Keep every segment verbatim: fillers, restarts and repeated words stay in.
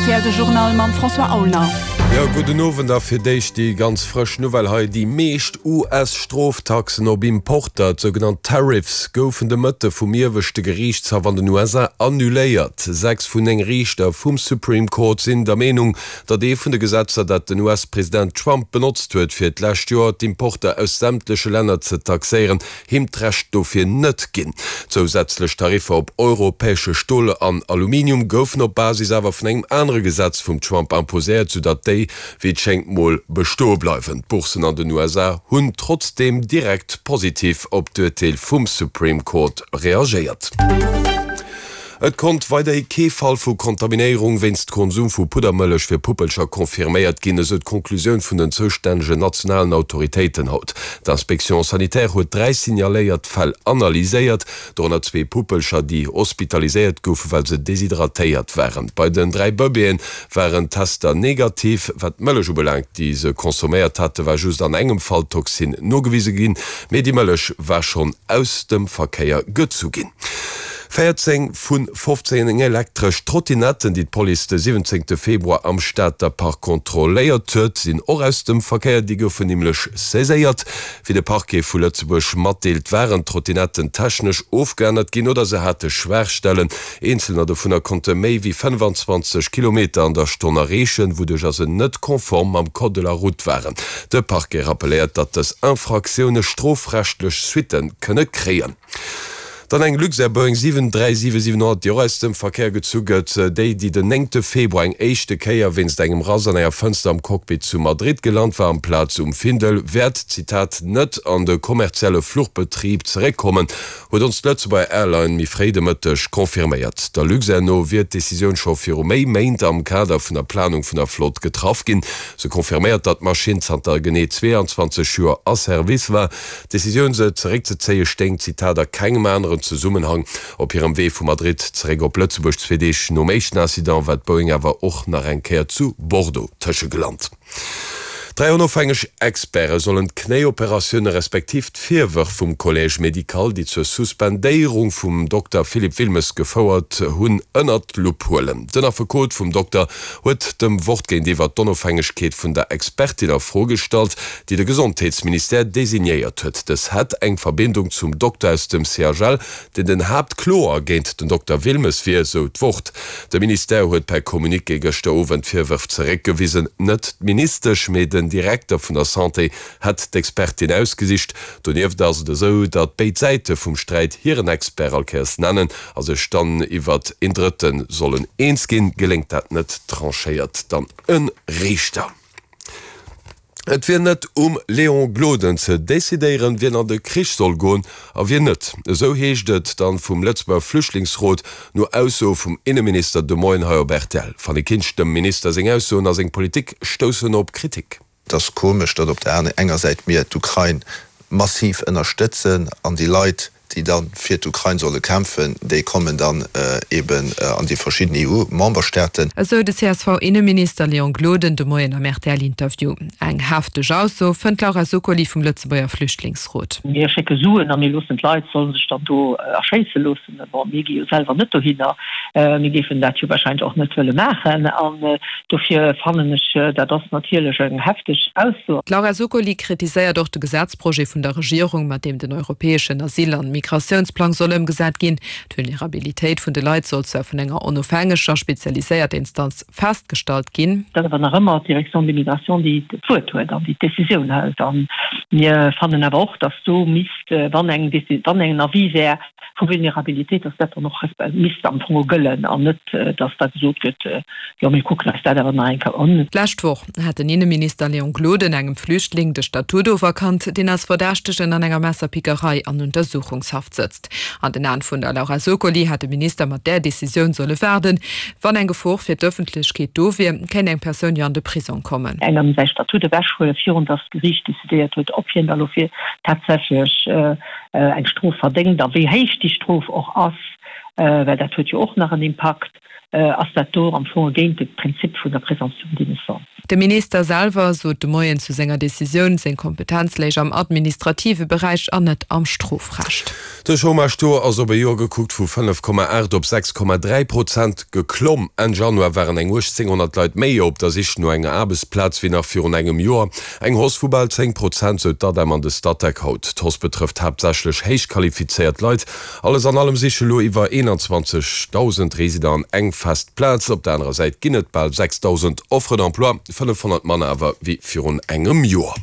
R T L de Journal mam François Aulner. Jo, gudden Owend a fir d'éischt déi ganz frësch Nouvelle hei, Déi meescht U S-Stroftaxen op Importer, d'sougenannt Tariffs, goufen de Mëtte vum ieweschte Geriichtshaff an den U S A annuléiert. Sechs vun néng Riichter vum Supreme Court sinn der Meenung, datt ee vun de Gesetzer, dat den U S-President Trump benotzt huet, fir d'lescht Joer d'Importer aus sämtleche Länner ze taxéieren, him d'Recht dofir net ginn. Zousätzlech Tariffer op europäesche Stol an Aluminium goufen op Basis awer vun engem anere Gesetz vum Trump imposéiert, soudatt déi, wéi et schéngt, mol bestoe bleiwen. D'Bourssen an den U S A hunn trotzdeem direkt positiv op d'Urteel vum Supreme Court reagéiert. Et konnt weiderhi kee Fall vu Kontaminéierung wéinst Konsum vu Puddermëllech fir Puppelcher confirméiert ginn, esou d'Konklusioun vun den zoustännegen nationalen Autoritéiten haut. D'Inspection sanitaire huet dräi signaléiert Fäll analyséiert, dorënner zwee Puppelcher, déi hospitaliséiert goufen, well se deshydratéiert waren. Bei den dräi Bëbeeën waren d'Tester negativ. Wat d'Mëllech ubelaangt, déi se consomméiert haten, war just an engem Fall d'Toxin nogewise ginn, mee déi Mëllech war schonn aus dem Verkéier gezu ginn. Véierzéng vu fofzéng elektresch Trottinetten, déi d'Police de siwwenzéngte Februar am Stater Park kontrolléiert huet, sinn och aus dem Verkéier. Déi goufen nämlech saiséiert. Wéi de Parquet vu Lëtzebuerg matdeelt, waren d'Trottinetten technesch ofgeännert ginn oder se hate Schwaachstellen. Eenzelner dovunner konnte méi wéi fënnefanzwanzeg Kilometer an der Stonn erreechen, wouduercher se net konform mam Code de la route waren. De Parquet rappelléiert, datt dës Infraktioune strofrechtlech Suitte kënne kréien. Dann eng Luxair Boeing siwen dräi siwe siwen honnert, déi och aus dem Verkéier gezu gëtt, déi, déi den néngte Februar eng éischte Kéier wéinst engem Rass an enger Fënster am Cockpit zu Madrid gelant war, amplaz um Findel, wäert, Zitat, net an de kommerzielle Fluchbetrib zeréckkommen, huet ons d'Lëtzebuerger Airline méi fréi de Mëtteg confirméiert. Der Luxair no wier d'Decisioun scho viru méi Méint am Kader vun der Planung vun der Flott getraff ginn. Se confirméiert, datt d'Maschinn zanter genee zweeanzwanzeg Joer a Service war. D'Decisioun se zeréckzezéie stéing, Zitat, a kengem aneren Zesummenhang. Op hirem Wee vu Madrid zeréck op Lëtzebuerg, zwee Deeg nom éischten Incident, war d'Boeing awer och nach eng Kéier zu Bordeaux tëschegelant. Dräi onofhängeg Experte sollen d'Knéioperatioune respektiv d'Virwërf vum Collège médical, déi zur Suspendéierung vum Dokter Philippe Wilmes gefouert hunn, ënnert d'Lupp huelen. Den Affekot vum Dokter huet dem Wort géintiwwer d'Onofhängegkeet vun der Expertin a Fro gestallt, déi de Gesondheetsministère designéiert huet. Dës hätt eng Verbindung zum Dokter aus dem C H L, deen den Haaptkloer géint den Dokter Wilmes wier, sou d'Wort. De Ministère huet per Communiqué gëschter Owend d'Virwërf zeréckgewisen. Net d'Ministesch, mee den Direkter vun der Santé hätt d'Expertin ausgesicht. Donieft ass et esou, datt béid Säite vum Sträit hiren Expert all Kéiers nennen a sech dann iwwert een Drëtte sollen eens ginn. Geléngt dat net, tranchéiert dann e Riichter. Et wier net um Léon Gloden ze decidéieren, wien an de Krich soll goen a wien net. Esou heescht et dann vum Lëtzebuerger Flüchtlingsrot no Aussoe vum Inneminister de Moien hei op R T L. Fanny Kinsch, dem Minister seng Aussoen a seng Politik stoussen op Kritik. Et ass komesch, datt op der enger Säit mir d'Ukrain massiv ënnerstëtzen an déi Leit, déi dann fir d'Ukrain solle kämpfen, déi kommen dann eben an déi verschidden E U-Memberstaaten. Esou de C S V-Inneminister Léon Gloden de Moien am R T L-Interview. Eng hefteg Ausso, fënnt d'Laura Zuccoli vum Lëtzebuerger Flüchtlingsrot. Mir schécke Suen a mir loossen d'Leit solle sech dann do erschéisse loossen. Bon, mir gi jo selwer net dohinner. Mir géifen dat jo warscheinlech och net wëlle maachen. An dofir fannen ech, dat ass natierlech eng hefteg Ausso. D'Laura Zuccoli kritiséiert och de Gesetzprojet vun der Regierung, mat deem den europäeschen Asyl an Migratiounsplang soll ëmgesat ginn. D'Vulnerabilitéit vun de Leit soll zwar vun enger onofhängeger spezialiséierter Instanz festgestallt ginn. Dat awer nach ëmmer d'Direction des migrations, déi d'Wuert huet an déi d'Decisioun hëlt. An mir fannen awer och, datt do misst, wann eng wann eng Avis wär vu Vulnerabilitéit, datt dat dann och misst am Fong gëllen an net, datt da gesot gëtt, jo mir kucken eis dat awer nach eng Kéier un. D'lescht Woch hat den Inneminister Léon Gloden engem Flüchtling de Statut oferkannt, deen als Verdächtegen an enger Messerpickerei an Untersuchungshaft sëtzt. An den Aen vun der Laura Zuccoli hätt de Minister mat där Decisioun solle waarden. Wann eng Gefor fir d'Ëffentlechkeet do wier, kéint eng Persoun jo an de Prisong kommen. Engem säi Statut ewechhuelen, virun datt d'Geriicht decidéiert huet, ob hien da lo fir tatsächlech eng Strof verdéngt a wéi héich déi Strof och ass, well dat huet jo och nach en Impakt. ass dat do am Fong géint de Prinzip vun der Présomption d'innocence. De Minister selwer sot de Moien zu senger Decisioun, seng Kompetenz léich am administrative Beräich an net am Strofrecht. De Chômage-Taux ass op e Joer gekuckt vu fënnef Komma aacht op sechs Komma dräi Prozent geklomm. Enn Januar waren eng uechtzénghonnert Leit méi op der Sich no enger Aarbechtsplaz wéi nach virun engem Joer. Eng Hausse vu bal zéng Prozent, sou d'ADEM an de Statec haut. D'Hausse betrëfft haaptsächlech héich qualifizéiert Leit. Alles an allem siche lo iwwer eenanzwanzegdausend Residenten eng fest Plaz. Op der anerer Säit ginn et bal sechsdausend Offres d'emploi, fënnefhonnert manner awer wéi virun engem Joer.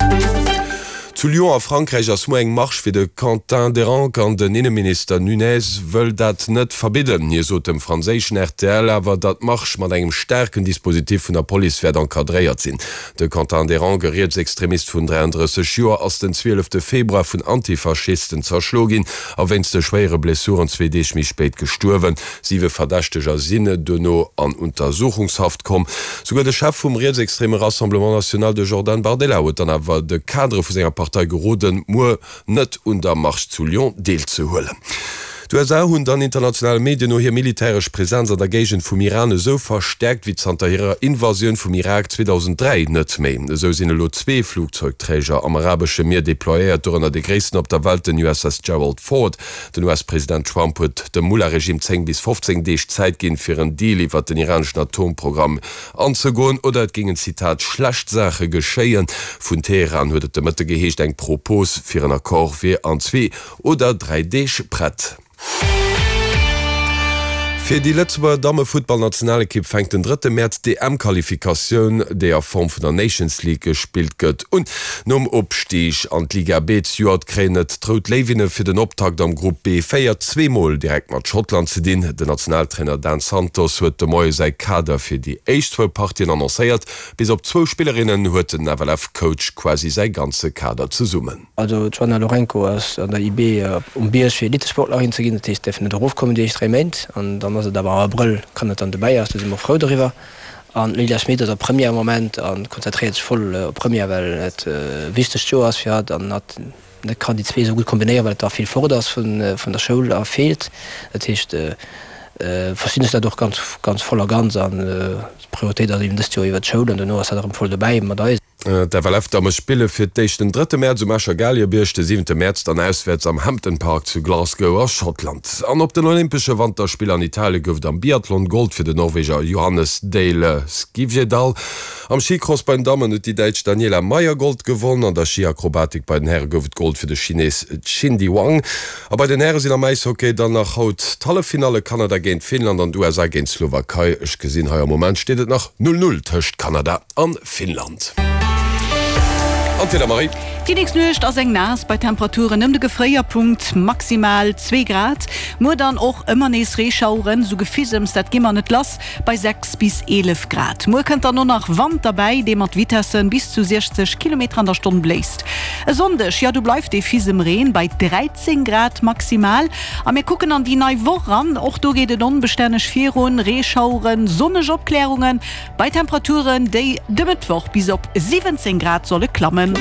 Zu Lyon a Frankräich ass muer eng Marsch fir de Quentin Deranque an den Inneminister Nunez wëll dat net verbidden. Hie sot dem franséischen rtl awer, datt d'Marsch mat engem staarken Dispositif vun der Police wäert encadréiert sinn. De Quentin Deranque, e Rietsextremist vun dräiandrësseg Joer, ass den zwielefte Februar vun Antifaschisten zerschlo ginn a wéinst de schwéiere Blessuren zwee Deeg méi spéit gestuerwen. Siwe Verdächteger sinn duerno an Untersuchungshaft komm. Souguer de Chef vum rietsextreme Rassemblement National, de Jordan Bardella, huet dann awer de Kadere vu senger Partei geroden, muer net un der Marsch zu Lyon deelzehuelen. D'USA hunn dann internationale Medien no hir militäresch Presenz an der Géigend vum Iran esou verstäerkt wéi zanter hirer Invasioun vum Irak zweedausenddräi net méi. Esou sinn elo zwee Flugzeugträger am arabesche Mier deployéiert, dorënner dee gréissten op der Welt, den U S S Gerald Ford. Den U S-President Trump huet dem Mullah-Regime zéng bis fofzéng Deeg Zäit ginn, fir en Deal iwwert den iraneschen Atomprogramm anzegoen, oder et géingen, Zitat, schlecht Saache geschéien. Vun Teheran huet et de Mëtte geheescht, eng Propos fir en Accord wier an zwee oder dräi Deeg prett. Fir déi Lëtzebuerger Dammefuttballnationalekipp fänkt den drëtte Mäerz d'EM-Qualifikatioun, déi a Form vun der Nations League gespillt gëtt, un. Nom Opstig an d'Liga B zejoert kréien et d'Rout Léiwinne fir den Optakt am Grupp B véier zweemol direkt mat Schottland ze dinn. Den Nationaltrainer Dan Santos huet de Moie säi Kader fir déi éischt zwou Partien annoncéiert. Bis op zwou Spillerinnen huet den F L F-Coach quasi säi ganze Kader zesummen. Also d'Joanna Lourenco ass an der I B um Bierg fir Elitesportlerin ze ginn, dat heescht däerf net erofkommen déi éischt dräi Méint an dann ass et awer am Abrëll kann et dann dobäi ass, do si mer frou doriwwer. An d'Lilia Schmit ass a Première am Moment a konzentréiert sech voll op Première, well et e wichtegt Joer ass fir hatt an hatt net kann déi zwee esou gutt kombinéieren, well et da vill fort ass vun vun der Schoul a feelt. Dat heescht verstinn ech dat och ganz ganz voll a ganz an d'Prioritéit ass eben dëst Joer iwwer d'Schoul an dono ass hatt erëm voll dobäi mat eis. D'F L F-Damme spille fir d'éischt den drëtte Mäerz um Escher Galiebierg, de siwente Mäerz dann auswäerts am Hampden Park zu Glasgow a Schottland. An op den Olympesche Wanterspiller an Italie gouf et am Biathlon Gold fir den Norweger Johannes Dale Skivjedal. Am Schicross bei den Dammen huet déi Däitsch Daniela Maier Gold gewonn. An der Schiakrobatik bei den Häre gouf et Gold fir de Chines Xindi Wang. A bei den Häre sinn am Äishockey dann nach haut d'Halleffinalle, Kanada géint Finnland an d'U S A géint d'Slowakei. Ech gesinn hei am Moment steet et nach null null tëscht Kanada an Finnland. An d'Wieder, Marie? Déi nächst Nuecht ass eng naass bei Temperaturen ëm de Gefréierpunkt, maximal zwee Grad. Muer dann och ëmmer nees Reeschaueren, sou Gefisems, dat gi mer net lass, bei sechs bis eelef Grad. Muer kënnt dann och nach Wand derbäi, dee mat Vitessen bis zu siechzeg Kilometer an der Stonn bléist. E Sonndeg, jo do bleift dee Fisemreen bei dräizéng Grad maximal. A mir kucken an déi nei Woch eran, och do geet et onbestänneg virun, Reeschaueren, sonneg Opklärungen, bei Temperaturen, déi de Mëttwoch bis op siwwenzéng Grad solle klammen.